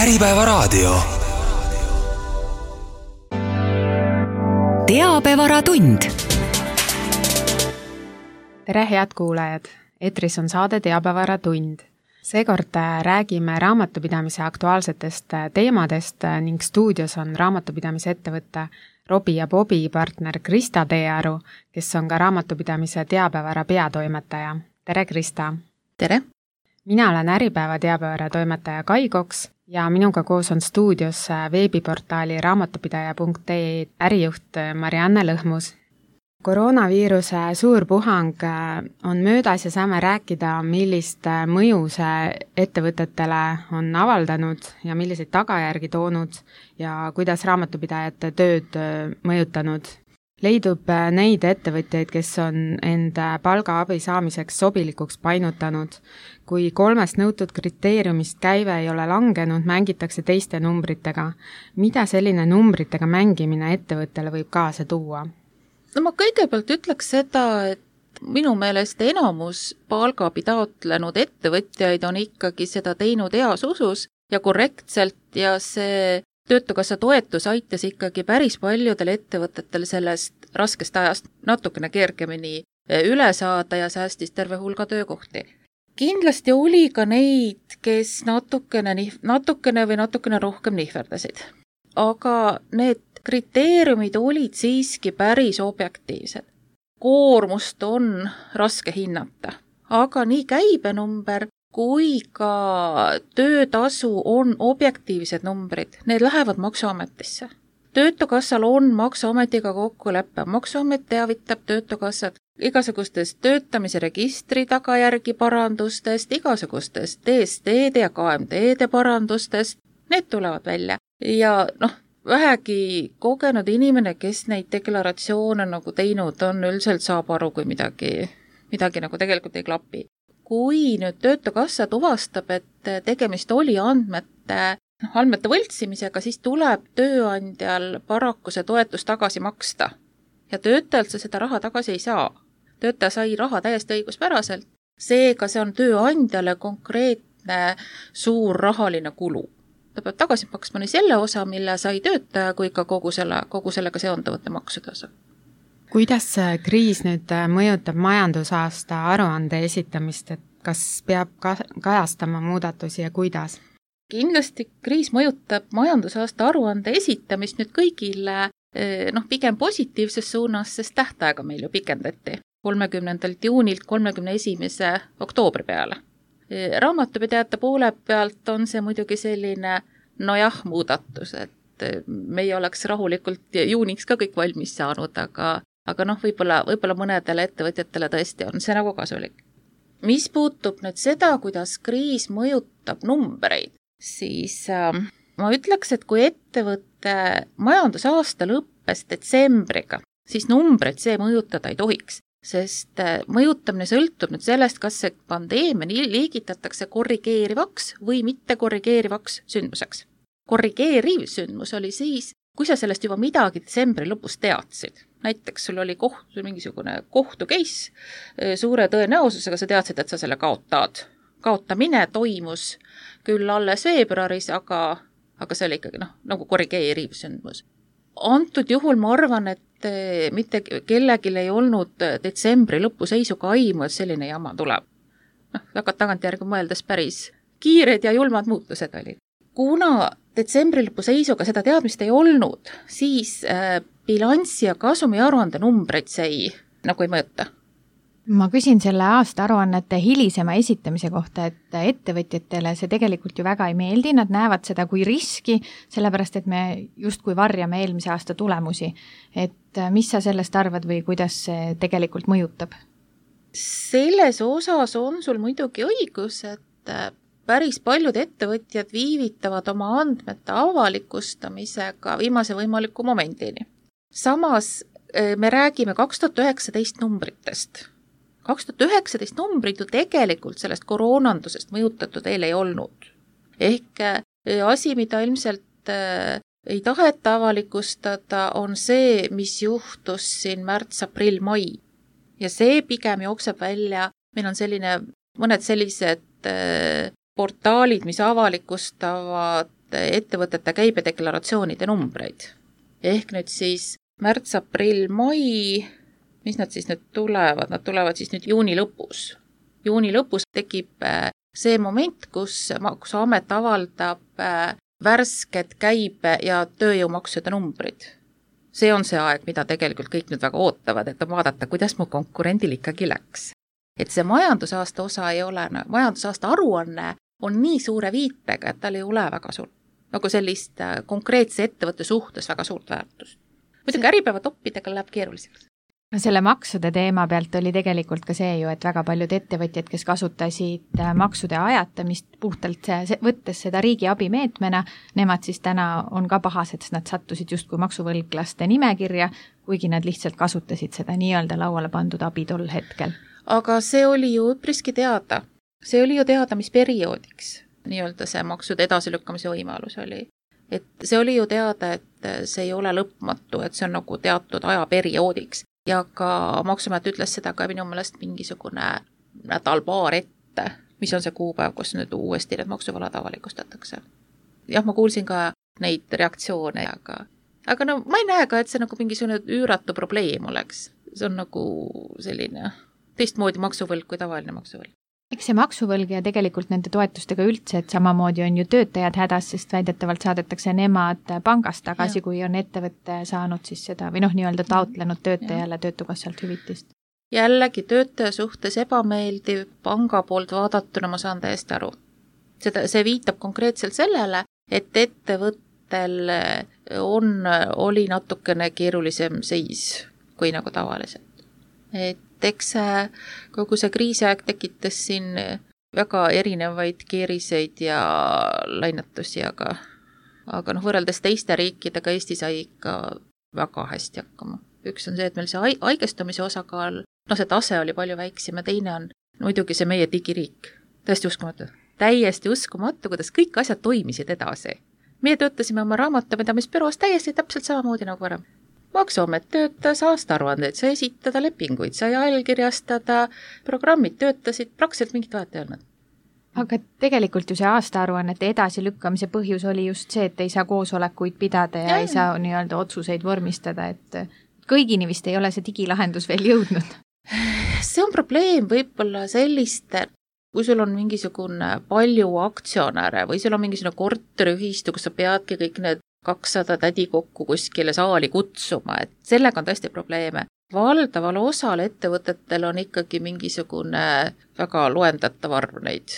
Äripäevaraadio. Teabevaratund. Tere head kuulajad! Etris on saade Teabevaratund. Seekord räägime raamatupidamise aktuaalsetest teemadest ning stuudios on raamatupidamise ettevõtte Robi ja Bobi partner Krista Teearu, kes on ka raamatupidamise teabevara peatoimetaja. Tere Krista! Tere! Mina olen Äripäeva teabevara toimetaja Kai Koks ja minuga koos on stuudios veebiportaali raamatupidaja.ee ärijuht Marianne Lõhmus. Koroonaviiruse suur puhang on möödas ja saame rääkida, millist mõju see ettevõtetele on avaldanud ja milliseid tagajärgi toonud ja kuidas raamatupidajate tööd mõjutanud. Leidub neid ettevõtjaid, kes on enda palgaabi saamiseks sobilikuks painutanud. Kui 3 nõutud kriteeriumist käive ei ole langenud, mängitakse teiste numbritega. Mida selline numbritega mängimine ettevõttele võib kaasa tuua? No ma kõigepealt ütleks seda, et minu meelest enamus palgaabi taotlenud ettevõtjaid on ikkagi seda teinud heas usus ja korrektselt ja see Töötukassa toetus aitas ikkagi päris paljudel ettevõtetel sellest raskest ajast natukene kergemini üle saada ja säästis terve hulga töökohti. Kindlasti oli ka neid, kes natukene rohkem nihverdasid. Aga need kriteeriumid olid siiski päris objektiivsed. Koormust on raske hinnata, aga nii käibenumber kui ka töötasu on objektiivsed numbrid, need lähevad Maksuametisse. Töötukassal on Maksuametiga kokkulepe, Maksuamet teavitab Töötukassat igasugustest töötamise registri tagajärgi parandustest, igasugustest DST-de ja KMD-de parandustest, need tulevad välja. Ja vähegi kogenud inimene, kes neid deklaratsioone teinud on, üldiselt saab aru, kui midagi tegelikult ei klapi. Kui nüüd Töötukassa tuvastab, et tegemist oli andmete võltsimisega, siis tuleb tööandjal paraku see toetus tagasi maksta. Ja töötajalt sa seda raha tagasi ei saa. Töötaja sai raha täiesti õiguspäraselt. Seega see on tööandjale konkreetne suur rahaline kulu. Ta peab tagasi maksma nii selle osa, mille sai töötaja, kui ka kogu sellega seonduvate maksude osa. Kuidas kriis nüüd mõjutab majandusaasta aruande esitamist, et kas peab kajastama muudatusi ja kuidas? Kindlasti kriis mõjutab majandusaasta aruande esitamist nüüd kõigile pigem positiivses suunas, sest tähtaega meil ju pikendati 30. juunilt 31. oktoobri peale. Raamatupidajate poole pealt on see muidugi selline muudatus, et me ei oleks rahulikult juuniks ka kõik valmis saanud, aga võib-olla mõnedele ettevõtjatele tõesti on see kasulik. Mis puutub nüüd seda, kuidas kriis mõjutab numbreid, siis ma ütleks, et kui ettevõtte majandusaasta lõppes detsembriga, siis numbreid see mõjutada ei tohiks, sest mõjutamine sõltub nüüd sellest, kas see pandeemia liigitatakse korrigeerivaks või mitte korrigeerivaks sündmuseks. Korrigeeriv sündmus oli siis, kui sa sellest juba midagi detsembri lõpus teadsid. Näiteks sul oli mingisugune kohtu case, suure tõenäosusega sa teadsid, et sa selle kaotad. Kaotamine toimus küll alles veebruaris, aga see oli ikkagi korrigeeriv sündmus. Antud juhul ma arvan, et mitte kellelgi ei olnud detsembri lõpu seisuga aimu, et selline jama tuleb. Tagantjärgi mõeldes päris kiired ja julmad muutused olid. Kuna detsembri lõpu seisuga seda teadmist ei olnud, siis bilanssi ja kasumi aruande numbreid see ei mõjuta. Ma küsin selle aasta aruannete hilisema esitamise kohta, et ettevõtjatele see tegelikult ju väga ei meeldi, nad näevad seda kui riski, sellepärast et me justkui varjame eelmise aasta tulemusi. Et mis sa sellest arvad või kuidas see tegelikult mõjutab? Selles osas on sul muidugi õigus, et päris paljud ettevõtjad viivitavad oma andmete avalikustamisega viimase võimaliku momendini. Samas me räägime 2019 numbritest. 2019 numbrid ju tegelikult sellest koroonandusest mõjutatud veel ei olnud. Ehk asi, mida ilmselt ei taheta avalikustada, on see, mis juhtus siin märts, aprill, mai. Ja see pigem jookseb välja, meil on mõned sellised portaalid, mis avalikustavad ettevõtete käibedeklaratsioonide numbreid. Ehk nüüd siis märts, aprill, mai, mis nad siis nüüd tulevad? Nad tulevad siis nüüd juuni lõpus. Juuni lõpus tekib see moment, kus Maksuamet avaldab värsked käibe- ja tööjõumaksude numbrid. See on see aeg, mida tegelikult kõik nüüd väga ootavad, et vaadata, kuidas mu konkurendil ikkagi läks. Et see majandusaasta osa ei ole, majandusaasta aruanne on nii suure viitega, et tal ei ole väga suurt, nagu sellist konkreetse ettevõtte suhtes väga suurt väärtust. Muidugi äripäeva toppidega läheb keeruliseks. No selle maksude teema pealt oli tegelikult ka see ju, et väga paljud ettevõtjad, kes kasutasid maksude ajatamist puhtalt võttes seda riigi abimeetmena, nemad siis täna on ka pahased, sest nad sattusid justkui maksuvõlglaste nimekirja, kuigi nad lihtsalt kasutasid seda nii-öelda lauale pandud abi tol hetkel. Aga see oli ju üpriski teada. See oli ju teada, mis perioodiks nii-öelda see maksude edasilükkamise võimalus oli. Et see oli ju teada, et see ei ole lõpmatu, et see on nagu teatud ajaperioodiks. Ja ka Maksuamet ütles seda ka minu meelest mingisugune nädal-paar ette, mis on see kuupäev, kus nüüd uuesti need maksuvõlad avalikustatakse. Jah, ma kuulsin ka neid reaktsioone, aga no ma ei näe ka, et see nagu mingisugune üüratu probleem oleks. See on nagu selline teistmoodi maksuvõlg kui tavaline maksuvõlg. Eks see maksuvõlg ja tegelikult nende toetustega üldse, et samamoodi on ju töötajad hädas, sest väidetavalt saadetakse nemad pangast tagasi, kui on ettevõtte saanud siis seda või nii-öelda taotlenud töötajale töötukassalt hüvitist. Jällegi töötaja suhtes ebameeldiv panga poolt vaadatuna, ma saan täiesti aru. See viitab konkreetselt sellele, et ettevõttel oli natukene keerulisem seis kui nagu tavaliselt. Et eks kogu see kriisiaeg tekitas siin väga erinevaid keeriseid ja lainetusi, aga võrreldes teiste riikidega Eesti sai ikka väga hästi hakkama. Üks on see, et meil see haigestumise osakaal, see tase oli palju väiksem ja teine on muidugi see meie digiriik. Täiesti uskumatu, kuidas kõik asjad toimisid edasi. Meie töötasime oma raamatupidamisbüroos täiesti täpselt samamoodi nagu varem. Maksuamet töötas, aastaaruandeid sai esitada, lepinguid sai allkirjastada, programmid töötasid, praktiliselt mingit vahet ei olnud. Aga tegelikult ju see aastaaruannete edasilükkamise põhjus oli just see, et ei saa koosolekuid pidada ja ei saa nii-öelda otsuseid vormistada, et kõigini vist ei ole see digilahendus veel jõudnud. See on probleem võib-olla selliste, kui sul on mingisugune palju aktsionäre või sul on mingisugune korteriühistu, kus sa peadki kõik need 200 tädi kokku kuskile saali kutsuma, et sellega on tõesti probleeme. Valdaval osal ettevõtetel on ikkagi mingisugune väga loendatav arv neid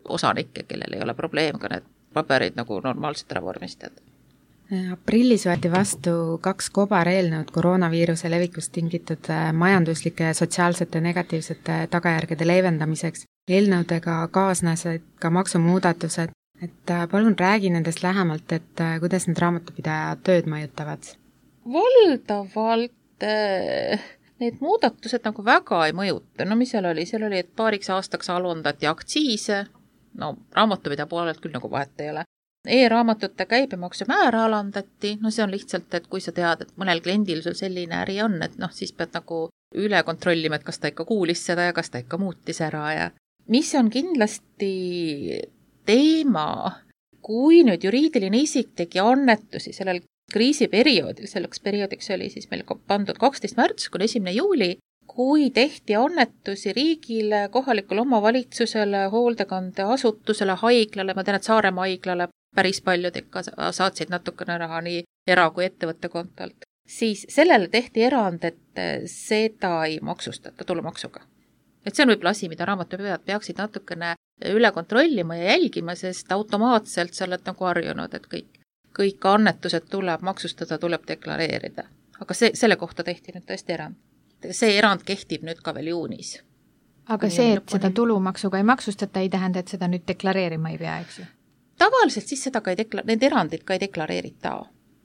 osanikke, kellel ei ole probleem ka need paberid nagu normaalselt ära vormistada. Aprillis võeti vastu 2 kobareelnõud koroonaviiruse levikust tingitud majanduslike ja sotsiaalsete negatiivsete tagajärgede leevendamiseks. Eelnõudega kaasnesid ka maksumuudatused. Et palun räägi nendest lähemalt, et kuidas need raamatupidaja tööd mõjutavad? Valdavalt need muudatused nagu väga ei mõjuta. Mis seal oli? Seal oli, et paariks aastaks alundati aktsiise. Raamatupidaja poolelt küll nagu vahet ei ole. E-raamatute käibemaksu määra alandati. See on lihtsalt, et kui sa tead, et mõnel kliendil sul selline äri on, et siis pead nagu üle kontrollima, et kas ta ikka kuulis seda ja kas ta ikka muutis ära. Ja mis on kindlasti teema, kui nüüd juriidiline isik tegi annetusi sellel kriisiperioodil, selleks perioodiks oli siis meil pandud 12. märts kuni 1. juuli, kui tehti annetusi riigile, kohalikule omavalitsusele, hoolekandeasutusele, haiglale, ma tean, et Saaremaa haiglale päris paljud ikka saatsid natukene raha nii era- kui ettevõtte kontolt, siis sellele tehti erand, et seda ei maksustata tulumaksuga. Et see on võib-olla asi, mida raamatupidajad peaksid natukene üle kontrollima ja jälgima, sest automaatselt sa oled nagu harjunud, et kõik annetused tuleb maksustada, tuleb deklareerida. Aga selle kohta tehti nüüd tõesti erand. See erand kehtib nüüd ka veel juunis. Aga see, et seda tulumaksuga ei maksustata, ei tähenda, et seda nüüd deklareerima ei pea, eks ju? Tavaliselt siis seda need erandid ka ei deklareerita,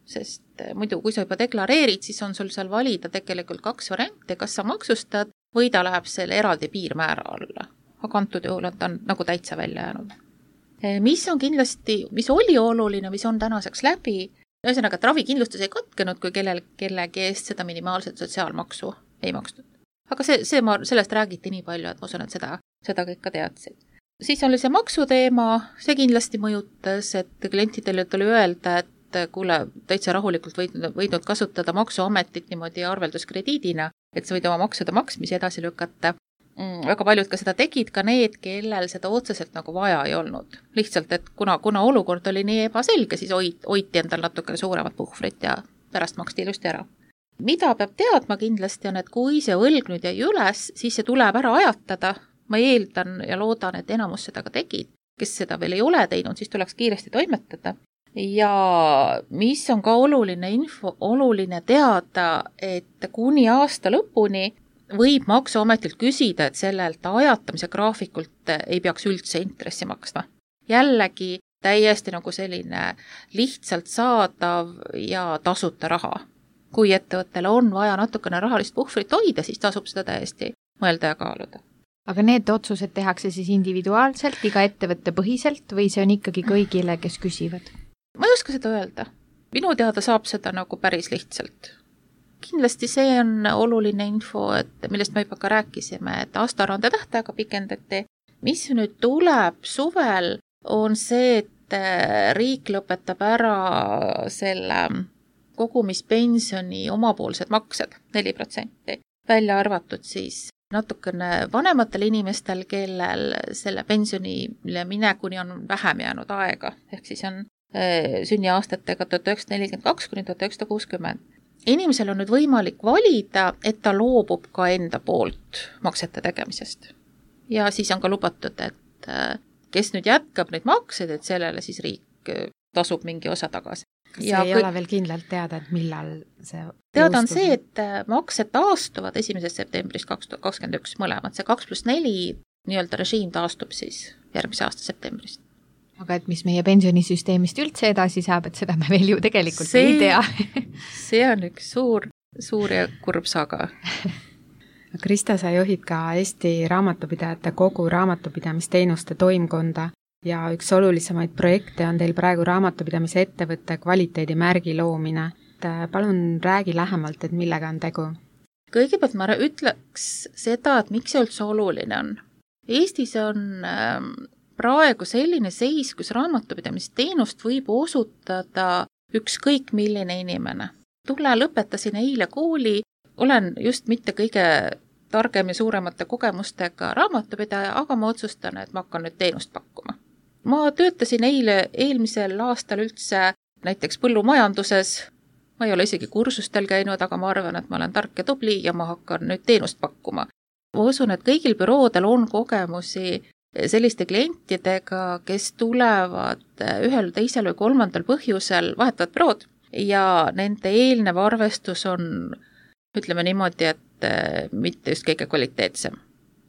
sest muidu, kui sa juba deklareerid, siis on sul seal valida tegelikult 2 varianti, kas sa maksustad või ta läheb selle eraldi piirmäära alla. Aga antud juhul on ta nagu täitsa välja jäänud. Mis on kindlasti, mis oli oluline, mis on tänaseks läbi, ühesõnaga, et ravikindlustus ei katkenud, kui kellegi eest seda minimaalset sotsiaalmaksu ei makstud. Aga sellest räägiti nii palju, et ma usun, et seda kõik ka teadsid. siis oli see maksuteema, see kindlasti mõjutas, et klientidele tuli öelda, et kuule, täitsa rahulikult võidnud kasutada maksuametit niimoodi arvelduskrediidina, et sa võid oma maksude maksmisi edasi lükata. Väga paljud ka seda tegid, ka need, kellel seda otseselt nagu vaja ei olnud. Lihtsalt, et kuna olukord oli nii ebaselge, siis hoiti endal natukene suuremat puhvrit ja pärast maksti ilusti ära. Mida peab teadma kindlasti on, et kui see võlg nüüd jäi üles, siis see tuleb ära ajatada. Ma eeldan ja loodan, et enamus seda ka tegid. Kes seda veel ei ole teinud, siis tuleks kiiresti toimetada. Ja mis on ka oluline teada, et kuni aasta lõpuni võib maksuametilt küsida, et sellelt ajatamise graafikult ei peaks üldse intressi maksma. Jällegi täiesti nagu selline lihtsalt saadav ja tasuta raha. Kui ettevõttele on vaja natukene rahalist puhvrit hoida, siis tasub seda täiesti mõelda ja kaaluda. Aga need otsused tehakse siis individuaalselt, iga ettevõtte põhiselt või see on ikkagi kõigile, kes küsivad? Ma ei oska seda öelda. Minu teada saab seda nagu päris lihtsalt. Kindlasti see on oluline info, et millest me juba ka rääkisime, et aastaaruande tähtaega pikendati. Mis nüüd tuleb suvel, on see, et riik lõpetab ära selle kogumispensioni omapoolsed maksed 4%. Välja arvatud siis natukene vanematel inimestel, kellel selle pensionile minekuni on vähem jäänud aega. Ehk siis on sünniaastatega 1942 kuni 1960. Inimesel on nüüd võimalik valida, et ta loobub ka enda poolt maksete tegemisest. Ja siis on ka lubatud, et kes nüüd jätkab neid makseid, et sellele siis riik tasub mingi osa tagasi. Kas see ei ole veel kindlalt teada, et millal see teada on see, et maksed taastuvad 1. septembrist 2021 mõlemad. See 2+4 nii-öelda režiim taastub siis järgmise aasta septembrist. Aga et mis meie pensionisüsteemist üldse edasi saab, et seda me veel ju tegelikult ei tea. See on üks suur ja kurb saga. Krista, sa juhid ka Eesti Raamatupidajate Kogu raamatupidamisteenuste toimkonda. Ja üks olulisemaid projekte on teil praegu raamatupidamise ettevõtte kvaliteedimärgi loomine. Palun räägi lähemalt, et millega on tegu. Kõigepealt ma ütleks seda, et miks see üldse oluline on. Eestis on praegu selline seis, kus raamatupidamisteenust võib osutada ükskõik milline inimene. Lõpetasin eile kooli, olen just mitte kõige targem ja suuremate kogemustega raamatupidaja, aga ma otsustan, et ma hakkan nüüd teenust pakkuma. Ma töötasin eelmisel aastal üldse näiteks põllumajanduses. Ma ei ole isegi kursustel käinud, aga ma arvan, et ma olen tark ja tubli ja ma hakkan nüüd teenust pakkuma. Ma usun, et kõigil büroodel on kogemusi selliste klientidega, kes tulevad ühel, teisel või kolmandal põhjusel vahetavad bürood ja nende eelnev arvestus on, ütleme niimoodi, et mitte just kõige kvaliteetsem.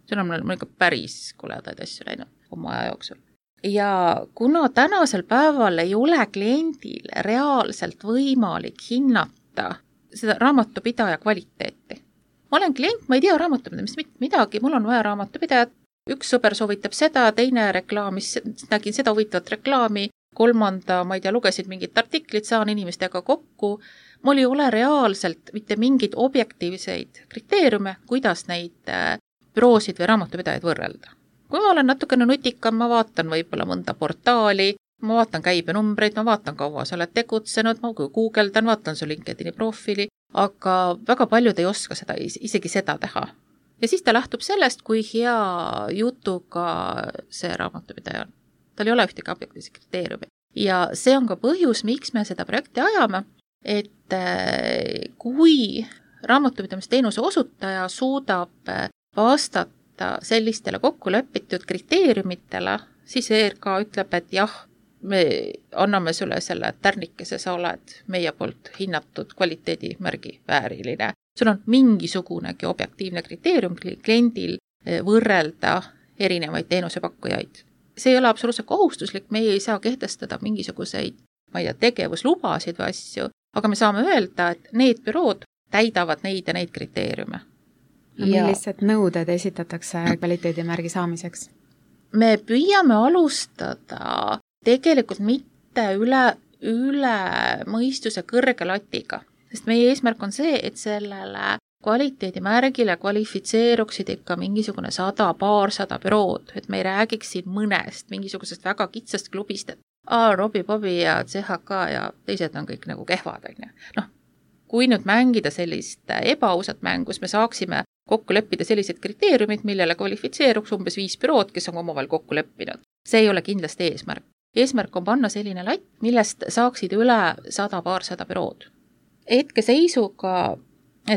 See on mul ikka päris koledaid asju läinud oma aja jooksul. Ja kuna tänasel päeval ei ole kliendil reaalselt võimalik hinnata seda raamatupidaja kvaliteeti. Ma olen klient, ma ei tea raamatupidamist midagi, mul on vaja raamatupidajat. Üks sõber soovitab seda, teine reklaamis, nägin seda huvitavat reklaami, kolmanda, ma ei tea, lugesid mingit artiklit, saan inimestega kokku. Mul ei ole reaalselt mitte mingeid objektiivseid kriteeriume, kuidas neid büroosid või raamatupidajaid võrrelda. Kui ma olen natukene nutikam, ma vaatan võib-olla mõnda portaali, ma vaatan käibenumbreid, ma vaatan kaua sa oled tegutsenud, ma guugeldan, vaatan su LinkedIni profiili, aga väga paljud ei oska seda, isegi seda teha. Ja siis ta lähtub sellest, kui hea jutuga see raamatupidaja on. Tal ei ole ühtegi objektiivse kriteeriumi. Ja see on ka põhjus, miks me seda projekti ajame, et kui raamatupidamisteenuse osutaja suudab vastata sellistele kokkulepitud kriteeriumitele, siis ERK ütleb, et jah, me anname sulle selle tärnikese, sa oled meie poolt hinnatud kvaliteedimärgi vääriline. Sul on mingisugunegi objektiivne kriteerium kliendil võrrelda erinevaid teenusepakkujaid. See ei ole absoluutselt kohustuslik, meie ei saa kehtestada mingisuguseid, ma ei tea, tegevuslubasid või asju, aga me saame öelda, et need bürood täidavad neid ja neid kriteeriume. Millised nõuded esitatakse kvaliteedimärgi saamiseks? Me püüame alustada tegelikult mitte üle mõistuse kõrge latiga, sest meie eesmärk on see, et sellele kvaliteedimärgile kvalifitseeruksid ikka mingisugune 100 bürood, et me ei räägiks siin mõnest, mingisugusest väga kitsast klubist, et Robbie Bobby ja CHK ja teised on kõik nagu kehvad, on ju. Noh, kui nüüd mängida sellist ebaausat mängus, me saaksime kokku leppida sellised kriteeriumid, millele kvalifitseeruks umbes 5 bürood, kes on omavahel kokku leppinud. See ei ole kindlasti eesmärk. Eesmärk on panna selline latt, millest saaksid üle 100 bürood. Hetkeseisuga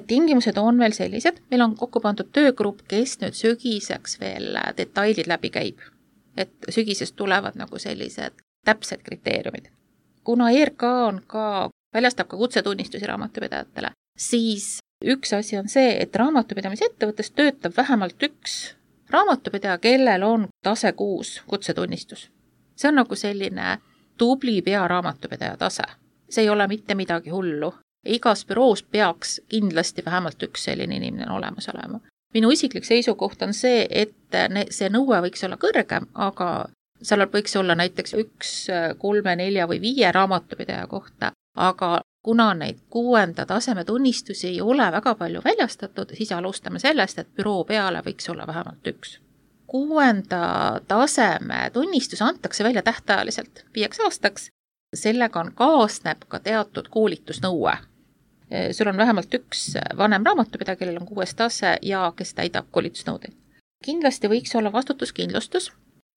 tingimused on veel sellised, meil on kokku pandud töögrupp, kes nüüd sügiseks veel detailid läbi käib. Et sügisest tulevad nagu sellised täpsed kriteeriumid. Kuna ERK on väljastab ka kutsetunnistusi raamatupidajatele, siis üks asi on see, et raamatupidamise ettevõttes töötab vähemalt üks raamatupidaja, kellel on tase 6 kutsetunnistus. See on nagu selline tubli pearaamatupidaja tase. See ei ole mitte midagi hullu. Igas büroos peaks kindlasti vähemalt üks selline inimene olemas olema. Minu isiklik seisukoht on see, et see nõue võiks olla kõrgem, aga seal võiks olla näiteks 1, 3, 4 või 5 raamatupidaja kohta, aga kuna neid 6. taseme tunnistusi ei ole väga palju väljastatud, siis alustame sellest, et büroo peale võiks olla vähemalt 1. 6. taseme tunnistus antakse välja tähtajaliselt 5 aastaks, sellega kaasneb ka teatud koolitusnõue. Sul on vähemalt 1 vanem raamatupidaja, kellel on 6. tase ja kes täidab koolitusnõudeid. Kindlasti võiks olla vastutuskindlustus.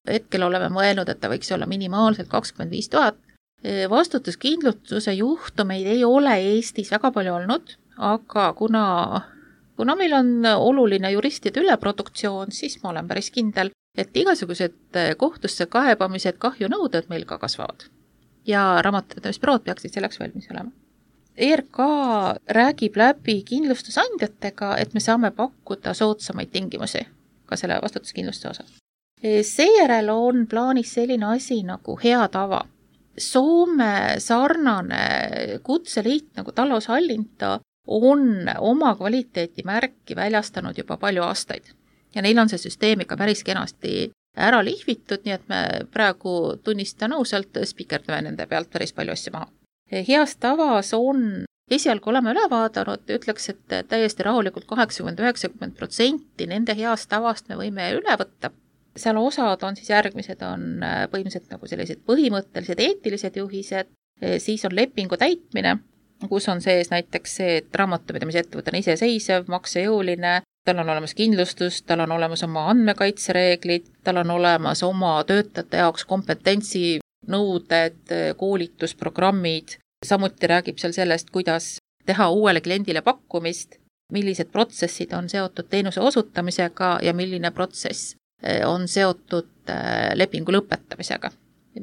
Hetkel oleme mõelnud, et ta võiks olla minimaalselt 25 000. Vastutuskindlustuse juhtumeid ei ole Eestis väga palju olnud, aga kuna meil on oluline juristide üleproduktsioon, siis ma olen päris kindel, et igasugused kohtusse kaebamised, kahjunõuded meil ka kasvavad. Ja raamatupidamisbürood peaksid selleks valmis olema. ERK räägib läbi kindlustusandjatega, et me saame pakkuda soodsamaid tingimusi ka selle vastutuskindlustuse osas. Seejärel on plaanis selline asi nagu hea tava. Soome sarnane kutseliit nagu Taloushallinto on oma kvaliteetimärki väljastanud juba palju aastaid. Ja neil on see süsteem ikka päris kenasti ära lihvitud, nii et me praegu tunnistan ausalt, spikerdame nende pealt päris palju asju maha. Heas tavas on, esialgu oleme üle vaadanud, ütleks, et täiesti rahulikult 80-90% nende heast tavast me võime üle võtta. Seal osad on siis järgmised, on põhimõtteliselt nagu sellised põhimõttelised eetilised juhised, siis on lepingu täitmine, kus on sees näiteks see, et raamatupidamise ettevõte on iseseisev, maksejõuline, tal on olemas kindlustus, tal on olemas oma andmekaitsereeglid, tal on olemas oma töötajate jaoks kompetentsinõuded, koolitusprogrammid, samuti räägib seal sellest, kuidas teha uuele kliendile pakkumist, millised protsessid on seotud teenuse osutamisega ja milline protsess on seotud lepingu lõpetamisega.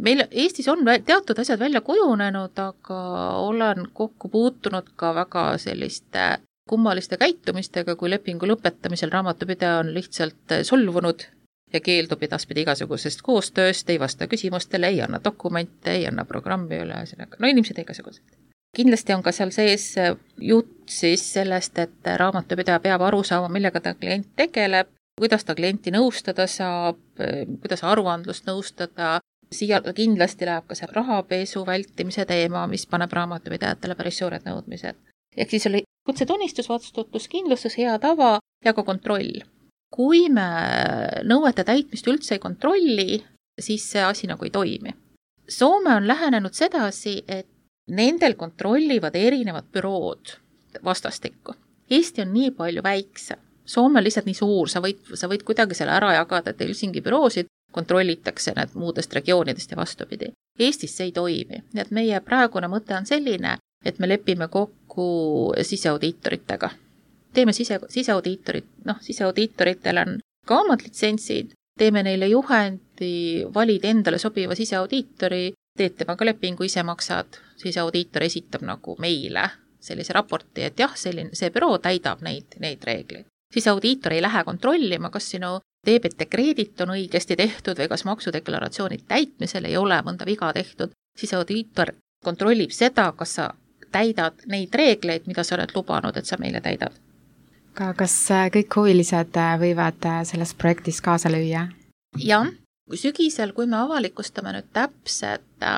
Meil Eestis on teatud asjad välja kujunenud, aga olen kokku puutunud ka väga selliste kummaliste käitumistega, kui lepingu lõpetamisel raamatupidaja on lihtsalt solvunud ja keeldub edaspidi igasugusest koostööst, ei vasta küsimustele, ei anna dokumente, ei anna programmi üle, no inimesed igasugused. Kindlasti on ka seal sees jutt siis sellest, et raamatupidaja peab aru saama, millega ta klient tegeleb, kuidas ta klienti nõustada saab, kuidas aruandlust nõustada, siia kindlasti läheb ka see rahapesu vältimise teema, mis paneb raamatupidajatele päris suured nõudmised. Ehk siis oli kutsetunnistus, vastutuskindlustus, hea tava ja ka kontroll. Kui me nõuete täitmist üldse ei kontrolli, siis see asi nagu ei toimi. Soome on lähenenud sedasi, et nendel kontrollivad erinevad bürood vastastikku. Eesti on nii palju väiksem. Soome on lihtsalt nii suur, sa võid kuidagi selle ära jagada, et Helsingi büroosid kontrollitakse need muudest regioonidest ja vastupidi. Eestis see ei toimi. Nii et meie praegune mõte on selline, et me lepime kokku siseaudiitoritega. Teeme siseaudiitorid, siseaudiitoritel on ka omad litsentsid, teeme neile juhendi, valid endale sobiva siseaudiitori, teed temaga lepingu, ise maksad, siseaudiitor esitab nagu meile sellise raporti, et jah, see büroo täidab neid reegleid. Siis audiitor ei lähe kontrollima, kas sinu debet ja kreedit on õigesti tehtud või kas maksudeklaratsiooni täitmisel ei ole mõnda viga tehtud. Siis audiitor kontrollib seda, kas sa täidad neid reegleid, mida sa oled lubanud, et sa meile täidad. Kas kõik huvilised võivad selles projektis kaasa lüüa? Jah, sügisel, kui me avalikustame nüüd täpsed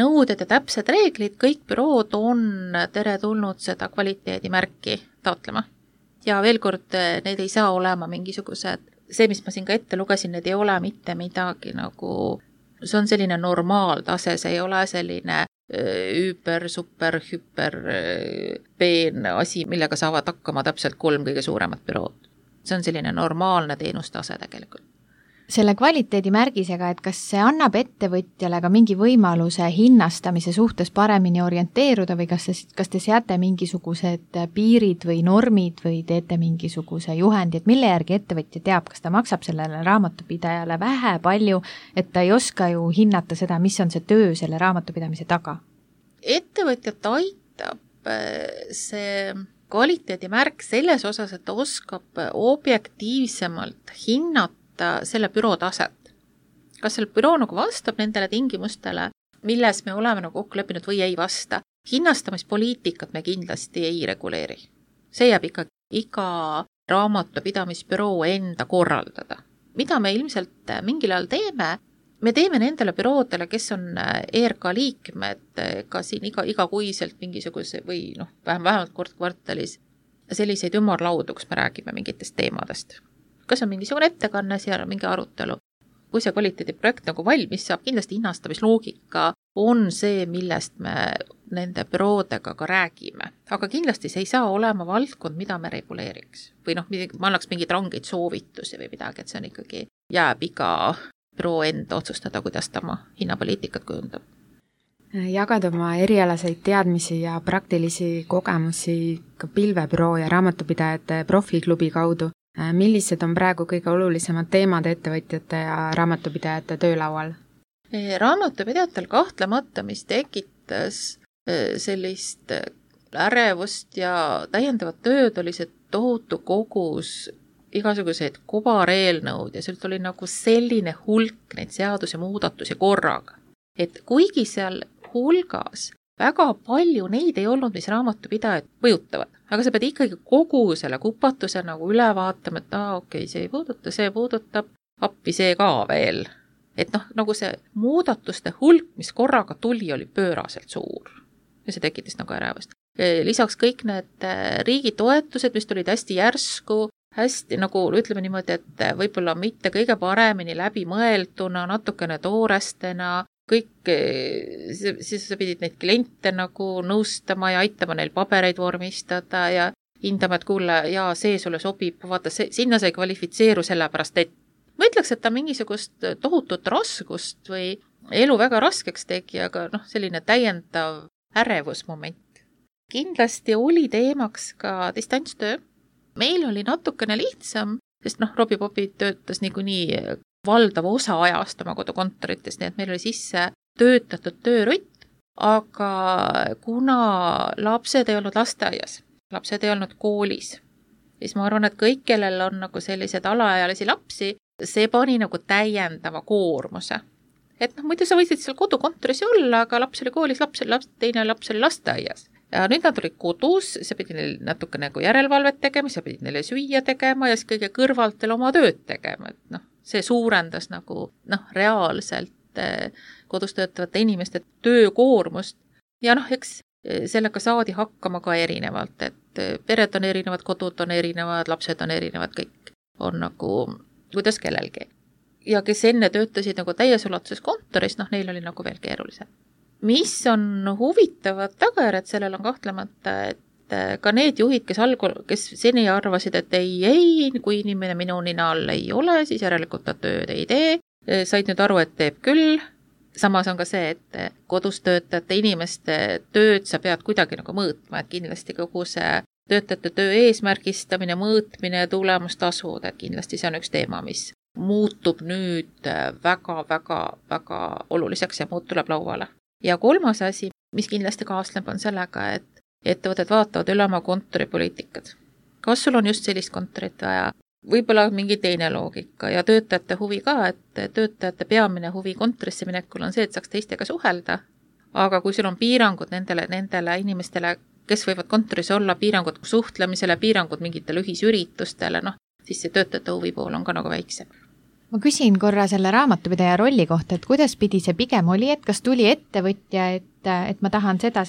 nõuded ja täpsed reeglid, kõik bürood on teretulnud seda kvaliteedimärki taotlema. ja veel kord, need ei saa olema mingisugused, see, mis ma siin ka ette lugesin, need ei ole mitte midagi nagu, see on selline normaaltase, see ei ole selline üüper, super, hüper, peen asi, millega saavad hakkama täpselt 3 kõige suuremat bürood. See on selline normaalne teenustase tegelikult. Selle kvaliteedimärgisega, et kas see annab ettevõtjale ka mingi võimaluse hinnastamise suhtes paremini orienteeruda või kas te seate mingisugused piirid või normid või teete mingisuguse juhendi, et mille järgi ettevõtja teab, kas ta maksab sellele raamatupidajale vähe, palju, et ta ei oska ju hinnata seda, mis on see töö selle raamatupidamise taga? Ettevõtjat aitab see kvaliteedimärk selles osas, et ta oskab objektiivsemalt hinnata selle büroo taset. Kas selle büroo nagu vastab nendele tingimustele, milles me oleme nagu kokku leppinud või ei vasta. Hinnastamispoliitikat me kindlasti ei reguleeri. See jääb ikka iga raamatupidamisbüroo enda korraldada. Mida me ilmselt mingil ajal teeme? Me teeme nendele büroodele, kes on ERK liikmed, ka siin igakuiselt mingisuguse või vähemalt kord kvartalis selliseid ümarlaudu, kus me räägime mingitest teemadest. Kas on mingisugune ettekanne, seal on mingi arutelu. Kui see kvaliteediprojekt nagu valmis saab, kindlasti hinnastamisloogika on see, millest me nende büroodega ka räägime. Aga kindlasti see ei saa olema valdkond, mida me reguleeriks. Või ma annaks mingeid rangeid soovitusi või midagi, et see on ikkagi jääb iga büroo enda otsustada, kuidas ta oma hinnapoliitikat kujundab. Jagad oma erialaseid teadmisi ja praktilisi kogemusi ka pilvebüroo ja raamatupidajate profiklubi kaudu. Millised on praegu kõige olulisemad teemad ettevõtjate ja raamatupidajate töölaual? Raamatupidajatel kahtlemata, mis tekitas sellist ärevust ja täiendavat tööd, oli see tohutu kogus igasuguseid kobareelnõud ja sealt oli nagu selline hulk neid seaduse muudatusi korraga. Et kuigi seal hulgas väga palju neid ei olnud, mis raamatupidajad mõjutavad, aga sa pead ikkagi kogu selle kupatuse nagu üle vaatama, et okei, see puudutab, appi see ka veel. Et nagu see muudatuste hulk, mis korraga tuli, oli pööraselt suur. Ja see tekitas nagu ärevust. Lisaks kõik need riigi toetused, mis tulid hästi järsku, hästi nagu ütleme niimoodi, et võib-olla mitte kõige paremini läbi mõelduna, natukene toorestena, kõik, siis sa pidid neid kliente nagu nõustama ja aitama neil pabereid vormistada ja hindama, et kuule, see sulle sobib, vaata, sinna sa ei kvalifitseeru sellepärast, et ma ütleks, et ta mingisugust tohutut raskust või elu väga raskeks tegi, aga selline täiendav ärevusmoment. Kindlasti oli teemaks ka distantstöö. Meil oli natukene lihtsam, sest Robbie Popi töötas niikuinii valdav osa ajast oma kodukontorites, nii et meil oli sisse töötatud töörutt, aga kuna lapsed ei olnud lasteaias, lapsed ei olnud koolis, siis ma arvan, et kõik, kellel on nagu sellised alaealisi lapsi, see pani nagu täiendava koormuse. Et muidu sa võisid seal kodukontoris olla, aga laps oli koolis, teine laps oli lasteaias. Ja nüüd nad olid kodus, sa pidid neil natuke nagu järelevalvet tegema, sa pidid neile süüa tegema ja siis kõige kõrvalt veel oma tööd tegema. Et see suurendas nagu reaalselt kodus töötavate inimeste töökoormust ja eks sellega saadi hakkama ka erinevalt, et pered on erinevad, kodud on erinevad, lapsed on erinevad, kõik on nagu kuidas kellelgi. Ja kes enne töötasid nagu täies ulatuses kontoris, neil oli nagu veel keerulisem. Mis on huvitavad tagajärjed, sellel on kahtlemata, et ka need juhid, kes seni arvasid, et ei, kui inimene minu nina all ei ole, siis järelikult ta tööd ei tee, said nüüd aru, et teeb küll. Samas on ka see, et kodus töötajate inimeste tööd sa pead kuidagi nagu mõõtma, et kindlasti kogu see töötajate töö eesmärgistamine, mõõtmine ja tulemustasud, et kindlasti see on üks teema, mis muutub nüüd väga oluliseks ja muud tuleb lauale. Ja kolmas asi, mis kindlasti kaasneb, on sellega, et ettevõtted vaatavad üle oma kontoripoliitikad. Kas sul on just sellist kontorit vaja? Võib-olla mingi teine loogika ja töötajate huvi ka, et töötajate peamine huvi kontorisse minekul on see, et saaks teistega suhelda. Aga kui sul on piirangud nendele inimestele, kes võivad kontoris olla, piirangud suhtlemisele, piirangud mingitele ühisüritustele, siis see töötajate huvi pool on ka nagu väiksem. Ma küsin korra selle raamatupidaja rolli kohta, et kuidas pidi see pigem oli, et kas tuli ettevõtja, et ma tahan seda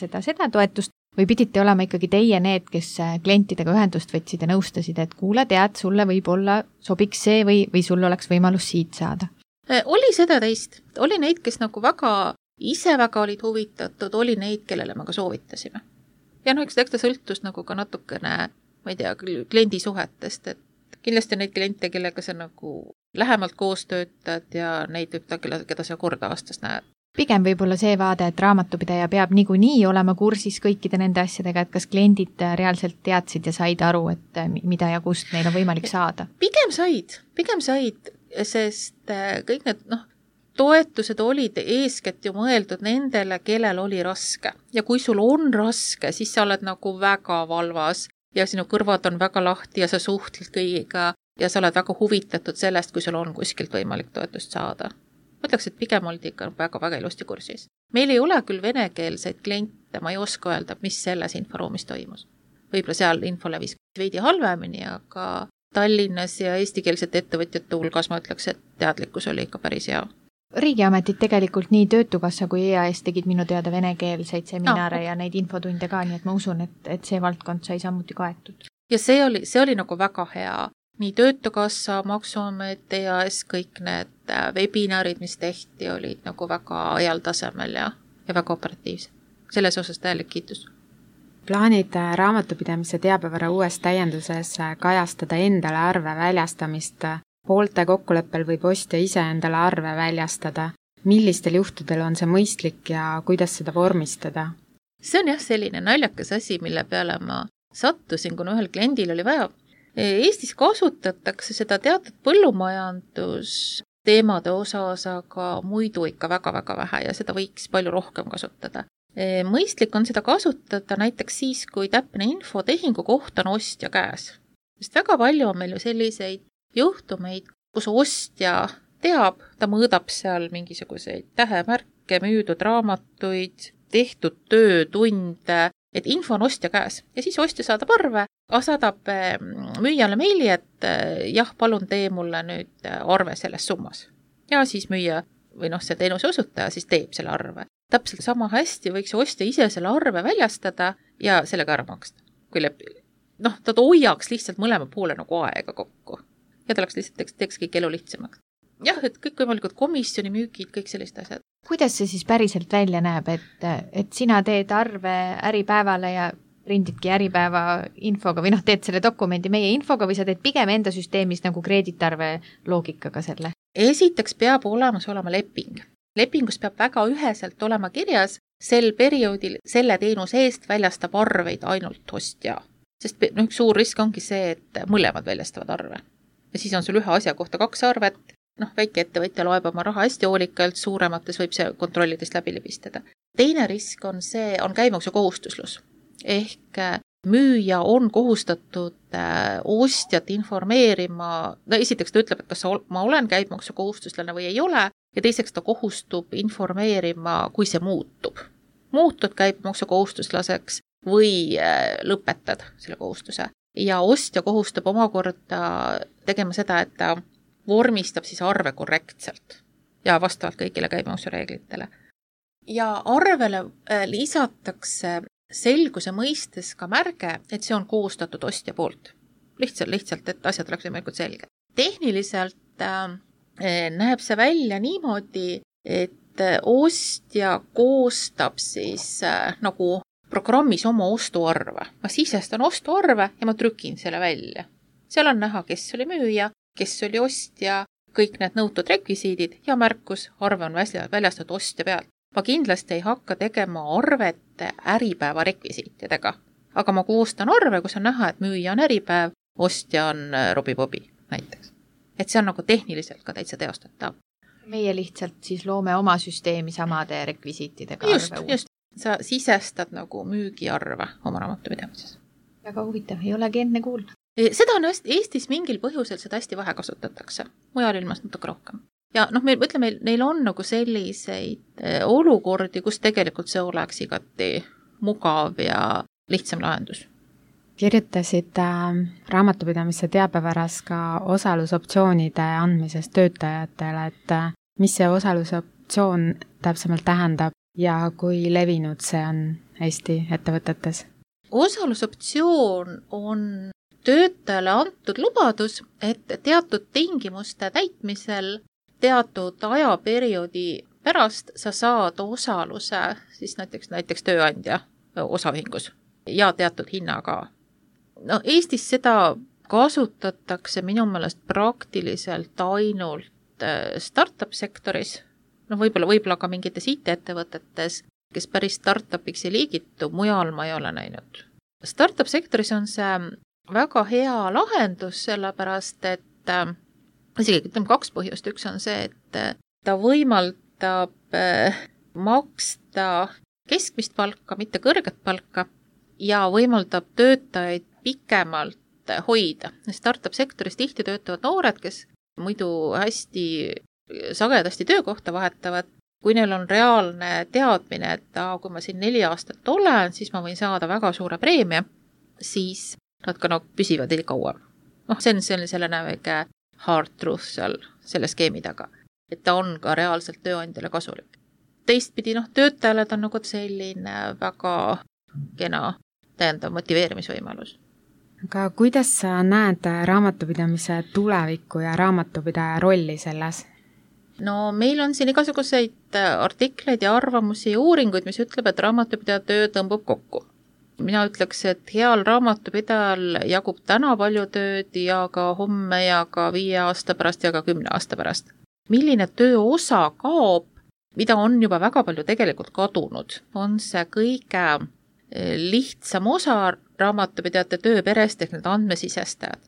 toetust Või pidite olema ikkagi teie need, kes klientidega ühendust võtsid ja nõustasid, et kuule, tead, sulle võib-olla sobiks see või sul oleks võimalus siit saada? Oli seda teist. Oli neid, kes nagu ise väga olid huvitatud, oli neid, kellele me ka soovitasime. Ja eks ta sõltus nagu ka natukene, ma ei tea, kliendisuhetest, et kindlasti on neid kliente, kellega sa nagu lähemalt koos töötad ja neid võib keda sa kord aastas näed. Pigem võib-olla see vaade, et raamatupidaja peab niikuinii olema kursis kõikide nende asjadega, et kas kliendid reaalselt teadsid ja said aru, et mida ja kust neil on võimalik saada? Pigem said, sest kõik need toetused olid eeskätt ju mõeldud nendele, kellel oli raske. Ja kui sul on raske, siis sa oled nagu väga valvas ja sinu kõrvad on väga lahti ja sa suhtled kõigiga ja sa oled väga huvitatud sellest, kui sul on kuskilt võimalik toetust saada. Mõtleks, et pigem oldi ikka väga ilusti kursis. Meil ei ole küll venekeelseid kliente, ma ei oska öelda, mis selles inforuumis toimus. Võib-olla seal info levis veidi halvemini, aga Tallinnas ja eestikeelsete ettevõtjate hulgas ma ütleks, et teadlikkus oli ikka päris hea. Riigiametid tegelikult nii Töötukassa kui EAS tegid minu teada venekeelseid seminare ja neid infotunde ka, nii et ma usun, et see valdkond sai samuti kaetud. Ja see oli nagu väga hea. Nii Töötukassa, Maksuamet, EAS, kõik need webinarid, mis tehti, olid nagu väga heal tasemel ja väga operatiivsed. Selles osas täielik kiitus. Plaanid raamatupidamise teabevara uues täienduses kajastada endale arve väljastamist. Poolte kokkuleppel võib ostja ise endale arve väljastada. Millistel juhtudel on see mõistlik ja kuidas seda vormistada? See on selline naljakas asi, mille peale ma sattusin, kuna ühel kliendil oli vaja. Eestis kasutatakse seda teatud põllumajandusteemade osas, aga muidu ikka väga vähe ja seda võiks palju rohkem kasutada. Mõistlik on seda kasutada näiteks siis, kui täpne info tehingu kohta on ostja käes. Sest väga palju on meil ju selliseid juhtumeid, kus ostja teab, ta mõõdab seal mingisuguseid tähemärke, müüdud raamatuid, tehtud töötunde, et info on ostja käes ja siis ostja saadab arve, saadab müüjale meili, et jah, palun tee mulle nüüd arve selles summas. Ja siis müüja või see teenuse osutaja siis teeb selle arve. Täpselt sama hästi võiks ostja ise selle arve väljastada ja sellega ära maksta. Kui ta hoiaks lihtsalt mõlema poole nagu aega kokku ja ta oleks lihtsalt teeks kõik elu lihtsamaks. Jah, et kõik võimalikud komisjoni müügid, kõik sellised asjad. Kuidas see siis päriselt välja näeb, et sina teed arve Äripäevale ja prindidki Äripäeva infoga või teed selle dokumendi meie infoga või sa teed pigem enda süsteemis nagu kreeditarve loogikaga selle? Esiteks peab olema leping. Lepingus peab väga üheselt olema kirjas, sel perioodil selle teenuse eest väljastab arveid ainult ostja. Sest üks suur risk ongi see, et mõlemad väljastavad arve. Ja siis on sul ühe asja kohta 2 arvet. Väike ettevõtja loeb oma raha hästi hoolikalt, suuremates võib see kontrollidest läbi libistada. Teine risk on käibemaksu kohustuslus. Ehk müüja on kohustatud ostjat informeerima, esiteks ta ütleb, et kas ma olen käibemaksu kohustuslane või ei ole, ja teiseks ta kohustub informeerima, kui see muutub. Muutud käibemaksu kohustuslaseks või lõpetad selle kohustuse. Ja ostja kohustab omakorda tegema seda, et ta vormistab siis arve korrektselt ja vastavalt kõigile käibemaksureeglitele. Ja arvele lisatakse selguse mõistes ka märge, et see on koostatud ostja poolt. Lihtsalt, et asjad oleks võimalikult selge. Tehniliselt näeb see välja niimoodi, et ostja koostab siis nagu programmis oma ostuarve. Ma sisestan ostuarve ja ma trükin selle välja. Seal on näha, kes oli müüja, kes oli ostja, kõik need nõutud rekvisiidid ja märkus, arve on väljastatud ostja pealt. Ma kindlasti ei hakka tegema arvet Äripäeva rekvisiitidega, aga ma koostan arve, kus on näha, et müüja on Äripäev, ostja on Robbie Bobby näiteks. Et see on nagu tehniliselt ka täitsa teostatav. Meie lihtsalt siis loome oma süsteemi samade rekvisiitidega just. Sa sisestad nagu müügiarve oma raamatupidamises. Väga huvitav, ei olegi enne kuulnud. Seda on Eestis mingil põhjusel seda hästi vähe kasutatakse. Mujal ilmas natuke rohkem. Ja neil on nagu selliseid olukordi, kus tegelikult see oleks igati mugav ja lihtsam lahendus. Kirjutasid raamatupidamise teabevaras ka osalusoptsioonide andmisest töötajatele, et mis see osalusoptsioon täpsemalt tähendab ja kui levinud see on, Eesti ettevõtetes? Osalusoptsioon on töötajale antud lubadus, et teatud tingimuste täitmisel teatud ajaperioodi pärast sa saad osaluse siis näiteks tööandja osaühingus ja teatud hinnaga. No Eestis seda kasutatakse minu meelest praktiliselt ainult startup sektoris, no võib-olla ka mingites IT-ettevõtetes, kes päris startupiks ei liigitu, mujal ma ei ole näinud. Startup sektoris on see väga hea lahendus, sellepärast et isegi ütleme 2 põhjust. Üks on see, et ta võimaldab maksta keskmist palka, mitte kõrget palka ja võimaldab töötajaid pikemalt hoida. Startup sektoris tihti töötavad noored, kes muidu hästi sagedasti töökohta vahetavad. Kui neil on reaalne teadmine, et kui ma siin 4 aastat olen, siis ma võin saada väga suure preemia, siis nad ka püsivad ei kauem. See on selline väike hard truth seal selle skeemi taga, et ta on ka reaalselt tööandjale kasulik. Teistpidi, töötajale ta on selline väga kena täiendav motiveerimisvõimalus. Aga kuidas sa näed raamatupidamise tulevikku ja raamatupidaja rolli selles? No meil on siin igasuguseid artikleid ja arvamusi ja uuringuid, mis ütleb, et raamatupidaja töö tõmbub kokku. Mina ütleks, et heal raamatupidajal jagub täna palju tööd ja ka homme ja ka 5 aasta pärast ja ka 10 aasta pärast. Milline töö osa kaob, mida on juba väga palju tegelikult kadunud, on see kõige lihtsam osa raamatupidajate tööperest ehk need andmesisestajad.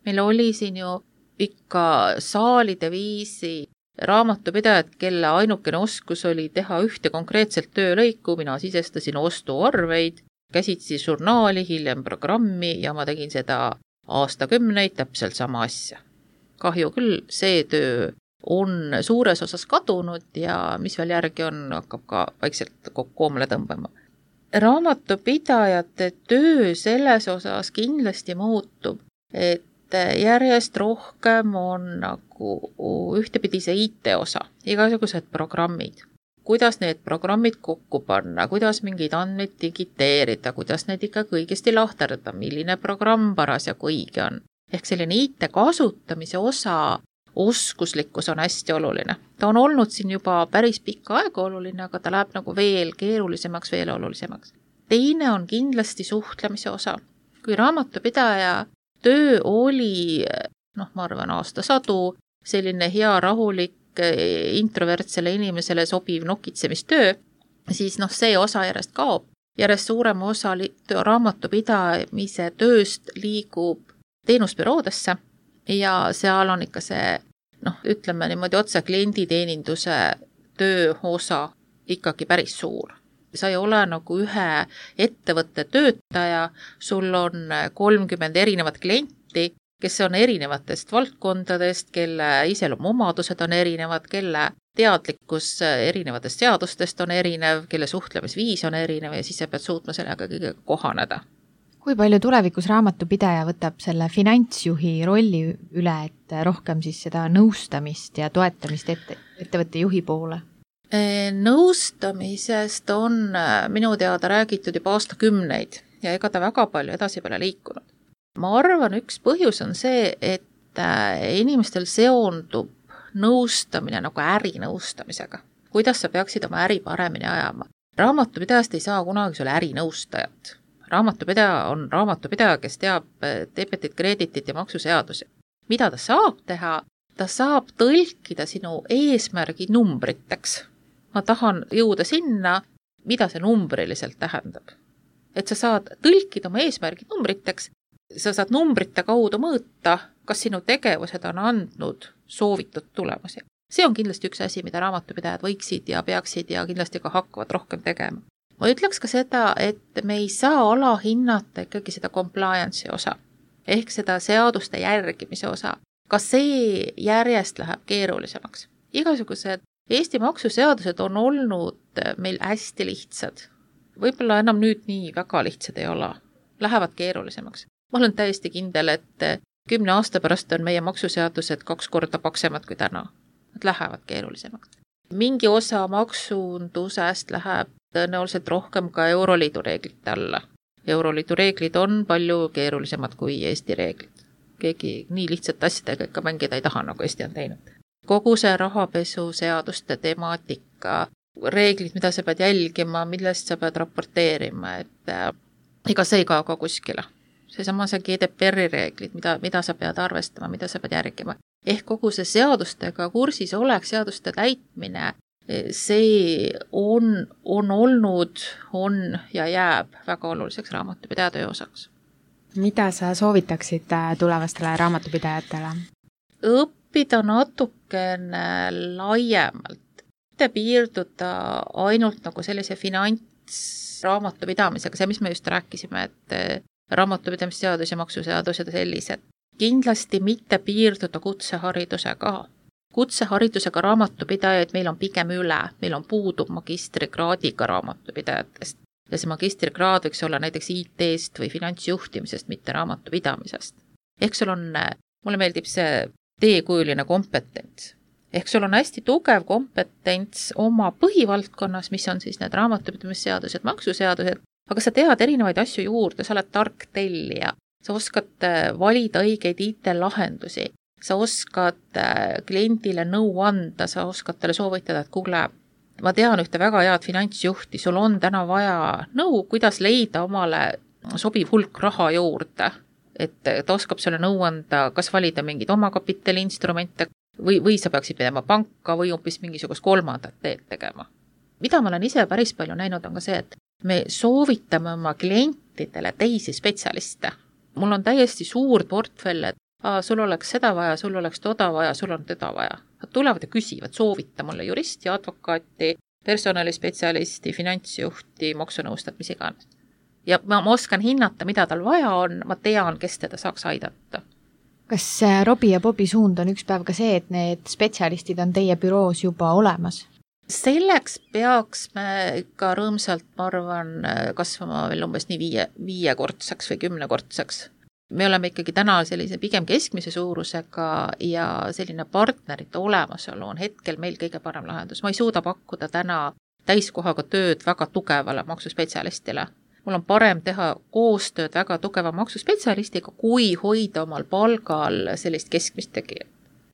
Meil oli siin ju ikka saalide viisi raamatupidajad, kelle ainukene oskus oli teha ühte konkreetselt töölõiku, mina sisestasin ostuarveid, käsitsi žurnaali, hiljem programmi ja ma tegin seda aastakümneid täpselt sama asja. Kahju küll, see töö on suures osas kadunud ja mis veel järgi on, hakkab ka vaikselt koomale tõmbama. Raamatupidajate töö selles osas kindlasti muutub, et järjest rohkem on ühtepidi see IT-osa, igasugused programmid. Kuidas need programmid kokku panna, kuidas mingeid andmeid digiteerida, kuidas need ikka kõigesti lahterdada, milline programm parasjagu õige on. Ehk selline IT kasutamise osa oskuslikkus on hästi oluline. Ta on olnud siin juba päris pikka aega oluline, aga ta läheb veel keerulisemaks, veel olulisemaks. Teine on kindlasti suhtlemise osa. Kui raamatupidaja töö oli, ma arvan, aastasadu, selline hea rahulik introvertsele inimesele sobiv nokitsemistöö, siis see osa järjest kaob. Järjest suurem osa raamatupidamise tööst liigub teenusbüroodesse ja seal on ikka see, ütleme niimoodi otse klienditeeninduse töö osa ikkagi päris suur. Sa ei ole ühe ettevõtte töötaja, sul on 30 erinevat klienti, kes on erinevatest valdkondadest, kelle iseloomuomadused on erinevad, kelle teadlikkus erinevatest seadustest on erinev, kelle suhtlemisviis on erinev ja siis sa pead suutma sellega kõigega kohaneda. Kui palju tulevikus raamatupidaja võtab selle finantsjuhi rolli üle, et rohkem siis seda nõustamist ja toetamist ettevõtte juhi poole? Nõustamisest on minu teada räägitud juba aastakümneid ja ega ta väga palju edasi pole liikunud. Ma arvan, üks põhjus on see, et inimestel seondub nõustamine ärinõustamisega. Kuidas sa peaksid oma äri paremini ajama? Raamatupidajast ei saa kunagi sulle ärinõustajat. Raamatupidaja on raamatupidaja, kes teab debetit, kreditit ja maksuseadusi. Mida ta saab teha? Ta saab tõlkida sinu eesmärgi numbriteks. Ma tahan jõuda sinna, mida see numbriliselt tähendab. Et sa saad tõlkida oma eesmärgid numbriteks, sa saad numbrite kaudu mõõta, kas sinu tegevused on andnud soovitud tulemusi. See on kindlasti üks asi, mida raamatupidajad võiksid ja peaksid ja kindlasti ka hakkavad rohkem tegema. Ma ütleks ka seda, et me ei saa alahinnata ikkagi seda compliance'i osa, ehk seda seaduste järgimise osa. Ka see järjest läheb keerulisemaks. Igasugused Eesti maksuseadused on olnud meil hästi lihtsad. Võib-olla enam nüüd nii väga lihtsad ei ole. Lähevad keerulisemaks. Ma olen täiesti kindel, et 10 aasta pärast on meie maksuseadused 2 korda paksemad kui täna. Nad lähevad keerulisemaks. Mingi osa maksundusest läheb tõenäoliselt rohkem ka Euroliidu reeglite alla. Euroliidu reeglid on palju keerulisemad kui Eesti reeglid. Keegi nii lihtsalt asjadega ikka mängida ei taha, nagu Eesti on teinud. Kogu see rahapesu seaduste temaatika, reeglid, mida sa pead jälgima, millest sa pead raporteerima, et ega see ei kao ka kuskile. Seesama see GDPR-i reeglid, mida sa pead arvestama, mida sa pead järgima. Ehk kogu see seadustega kursis oleks, seaduste täitmine, see on olnud, on ja jääb väga oluliseks raamatupidaja töö osaks. Mida sa soovitaksid tulevastele raamatupidajatele? Õppida natukene laiemalt. Mitte piirduda ainult nagu sellise finantsraamatupidamisega, see, mis me just rääkisime, et raamatupidamisseadus ja maksuseadus ja sellised. Kindlasti mitte piirduda kutseharidusega. Kutseharidusega raamatupidajaid meil on pigem üle, meil on puudub magistrikraadiga raamatupidajatest. Ja see magistrikraad võiks olla näiteks IT-st või finantsjuhtimisest, mitte raamatupidamisest. Ehk sul on, mulle meeldib see teekujuline kompetents. Ehk sul on hästi tugev kompetents oma põhivaldkonnas, mis on siis need raamatupidamisseadused, maksuseadused, aga sa tead erinevaid asju juurde, sa oled tark tellija, sa oskad valida õigeid IT-lahendusi, sa oskad kliendile nõu anda, sa oskad talle soovitada, et kuule, ma tean ühte väga head finantsjuhti, sul on täna vaja nõu, kuidas leida omale sobiv hulk raha juurde, et ta oskab sulle nõu anda, kas valida mingid omakapitali instrumente või sa peaksid minema panka või hoopis mingisugust kolmandat teed tegema. Mida ma olen ise päris palju näinud on ka see, et me soovitame oma klientidele teisi spetsialiste. Mul on täiesti suur portfell, et sul oleks seda vaja, sul oleks toda vaja, sul on teda vaja. Nad tulevad ja küsivad, soovita mulle juristi, advokaati, personalispetsialisti, finantsjuhti, maksunõustajat, mis iganes. Ja ma oskan hinnata, mida tal vaja on, ma tean, kes teda saaks aidata. Kas Robi ja Bobi suund on üks päev ka see, et need spetsialistid on teie büroos juba olemas? Selleks peaks me ikka rõõmsalt, ma arvan, kasvama veel umbes nii viiekordseks või 10-kordseks. Me oleme ikkagi täna sellise pigem keskmise suurusega ja selline partnerite olemasolu on hetkel meil kõige parem lahendus. Ma ei suuda pakkuda täna täiskohaga tööd väga tugevale maksuspetsialistile. Mul on parem teha koostööd väga tugeva maksuspetsialistiga, kui hoida omal palgal sellist keskmist tegijat.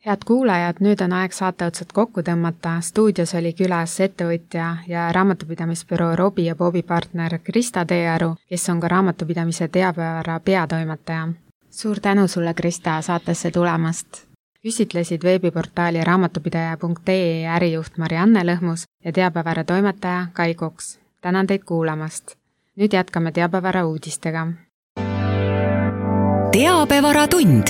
Head kuulajad, nüüd on aeg saateotsad kokku tõmmata. Stuudios oli külas ettevõtja ja raamatupidamisbüroo Robi ja Bobi partner Krista Teearu, kes on ka raamatupidamise teabepäeva peatoimetaja. Suur tänu sulle, Krista, saatesse tulemast. Küsitlesid veebiportaali raamatupidaja.ee ärijuht Marianne Lõhmus ja teabepäeva toimetaja Kai Koks. Tänan teid kuulamast. Nüüd jätkame teabepäeva uudistega. Teabevara tund.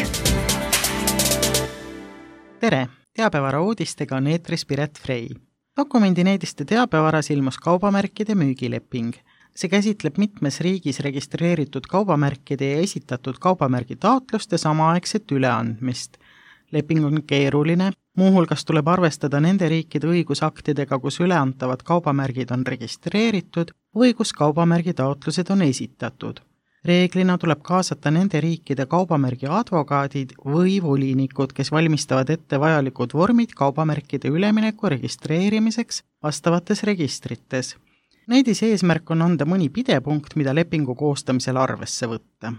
Tere! Teabevara uudistega on eetris Piret Frey. Dokumendineediste teabevaras ilmus kaubamärkide müügileping. See käsitleb mitmes riigis registreeritud kaubamärkide ja esitatud kaubamärgi taotluste samaaegset üleandmist. Leping on keeruline, muuhulgas tuleb arvestada nende riikide õigusaktidega, kus üleantavad kaubamärgid on registreeritud või kus kaubamärgi taotlused on esitatud. Reeglina tuleb kaasata nende riikide kaubamärgi advokaadid või volinikud, kes valmistavad ette vajalikud vormid kaubamärkide ülemineku registreerimiseks vastavates registrites. Neidis eesmärk on anda mõni pidepunkt, mida lepingu koostamisel arvesse võtta.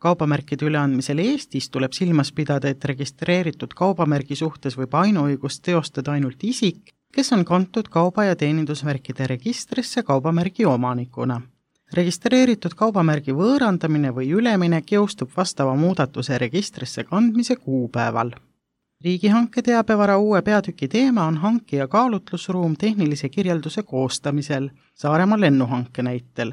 Kaubamärkide üleandmisel Eestis tuleb silmas pidada, et registreeritud kaubamärgi suhtes võib ainuõigust teostada ainult isik, kes on kantud kauba- ja teenindusmärkide registrisse kaubamärgi omanikuna. Registreeritud kaubamärgi võõrandamine või üleminek jõustub vastava muudatuse registrisse kandmise kuupäeval. Riigihanke teabevara uue peatüki teema on hankija kaalutlusruum tehnilise kirjelduse koostamisel Saaremaa lennuhanke näitel.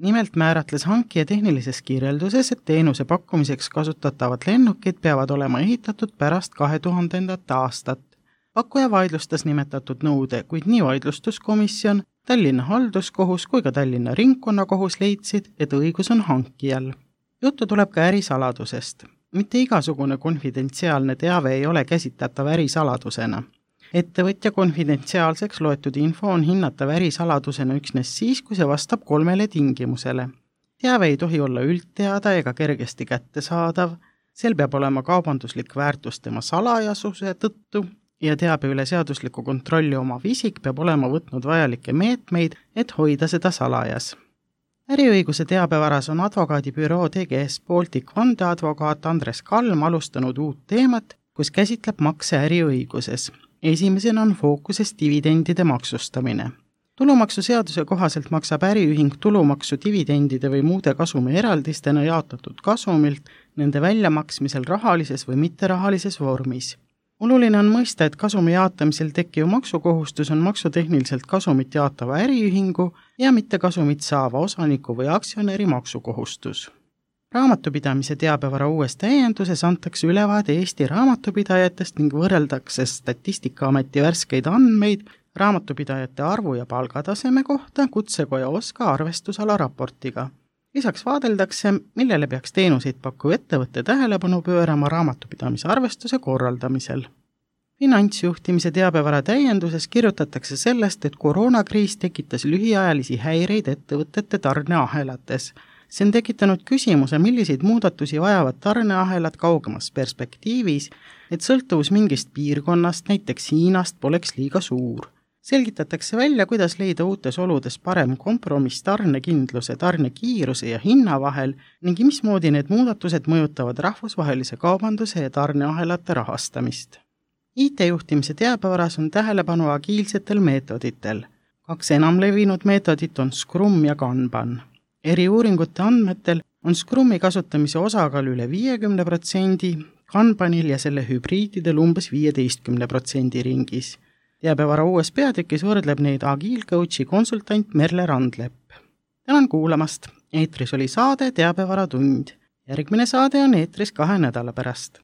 Nimelt määratles hankija tehnilises kirjelduses, et teenuse pakkumiseks kasutatavad lennukid peavad olema ehitatud pärast 2000. aastat. Pakkuja vaidlustas nimetatud nõude, kuid nii vaidlustuskomisjon, Tallinna halduskohus kui ka Tallinna ringkonnakohus leidsid, et õigus on hankijal. Juttu tuleb ka ärisaladusest. Mitte igasugune konfidentsiaalne teave ei ole käsitletav ärisaladusena. Ettevõtja konfidentsiaalseks loetud info on hinnatav ärisaladusena üksnes siis, kui see vastab 3 tingimusele. Teave ei tohi olla üldteada ega kergesti kättesaadav, sel peab olema kaubanduslik väärtus tema salajasuse tõttu, ja teabe üle seadusliku kontrolli omav isik peab olema võtnud vajalikke meetmeid, et hoida seda salajas. Äriõiguse teabevaras on advokaadibüroo TGS Baltic vandeadvokaat Andres Kalm alustanud uut teemat, kus käsitleb makse äriõiguses. Esimesena on fookuses dividendide maksustamine. Tulumaksuseaduse kohaselt maksab äriühing tulumaksu dividendide või muude kasumi eraldistena jaotatud kasumilt nende väljamaksmisel rahalises või mitterahalises vormis. Oluline on mõista, et kasumi jaotamisel tekkiv maksukohustus on maksutehniliselt kasumit jaotava äriühingu ja mitte kasumit saava osaniku või aktsionäri maksukohustus. Raamatupidamise teabevara uues täienduses antakse ülevaade Eesti raamatupidajatest ning võrreldakse Statistikaameti värskeid andmeid raamatupidajate arvu ja palgataseme kohta Kutsekoja OSKA arvestusala raportiga. Lisaks vaadeldakse, millele peaks teenuseid pakkuv ettevõtte tähelepanu pöörama raamatupidamise arvestuse korraldamisel. Finantsjuhtimise teabevara täienduses kirjutatakse sellest, et koroonakriis tekitas lühiajalisi häireid ettevõtete tarneahelates. See on tekitanud küsimuse, milliseid muudatusi vajavad tarneahelad kaugemas perspektiivis, et sõltuvus mingist piirkonnast, näiteks Hiinast, poleks liiga suur. Selgitatakse välja, kuidas leida uutes oludes parem kompromiss tarnekindluse, tarnekiiruse ja hinna vahel ning mismoodi need muudatused mõjutavad rahvusvahelise kaubanduse ja tarneahelate rahastamist. IT-juhtimise teabevaras on tähelepanu agiilsetel meetoditel. 2 enamlevinud meetodit on Scrum ja Kanban. Eriuuringute andmetel on Scrumi kasutamise osakaal üle 50%, Kanbanil ja selle hübriididel umbes 15% ringis. Teabevara uues peatükis võrdleb neid agiilcoachi konsultant Merle Randlepp. Tänan kuulamast. Eetris oli saade Teabevara tund. Järgmine saade on eetris 2 nädala pärast.